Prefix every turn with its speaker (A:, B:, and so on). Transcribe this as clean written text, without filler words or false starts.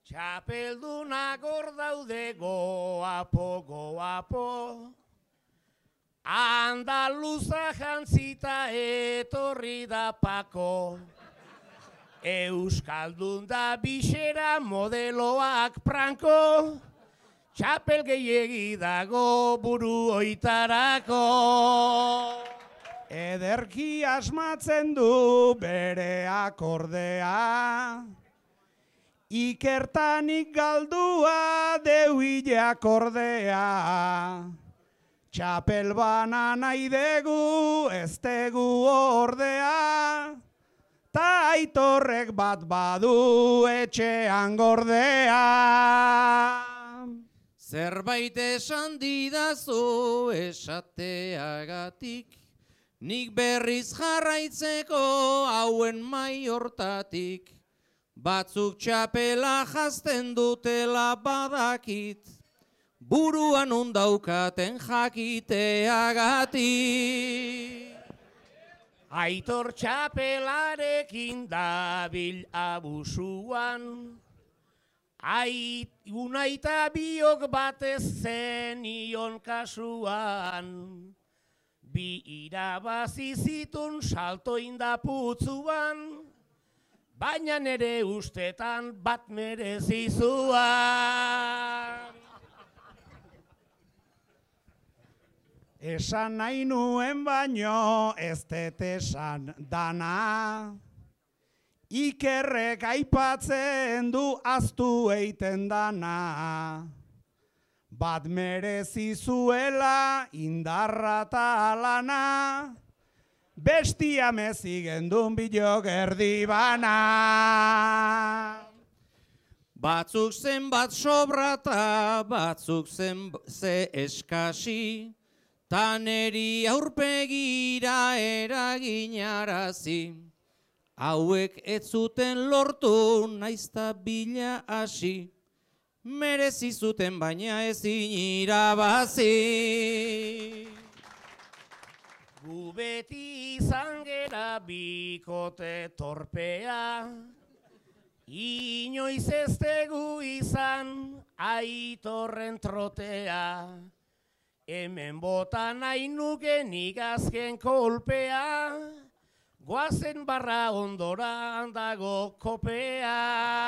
A: Txapeldunak hor daude goapo, goapo. Andaluza jantzita etorri da Pako. Euskaldun da bisera modeloak Franko. Txapel gehiegi dago buru oitarako.
B: Ederki asmatzen du bere akordea, ikertanik galdua deuile akordea. Txapel bana nahi degu, ez degu ordea, ta Aitorrek bat badu etxean gordea.
C: Zerbait esan didazu esateagatik, nik berriz jarraitzeko hauen mai hortatik. Batzuk txapela jazten dutela badakit, buruan undaukaten jakiteagatik.
A: Aitor txapelarekin dabil abusuan, unaita biok batez zenion kasuan. Bi irabazi zitun salto indaputzuan, baina nere ustetan bat merezizuan.
B: Esan nahi nuen baino ez dut esan dana, Ikerrek aipatzen du aztu eiten dana. Bat merezizuela indarra ta lana, bestia mezigen dun bilok erdi bana.
C: Batzuk zenbat sobrata, batzuk ze eskasi, taneri aurpegira eraginarazi. Hauek ez zuten lortu naizta bila hasi, merezi zuten baina ezin irabazi.
A: Gu beti izan gera bikote torpea, inoiz ez tegu izan Aitorren trotea. Hemen bota nahi nuke nik azken kolpea, goazen barra ondoran dago kopea.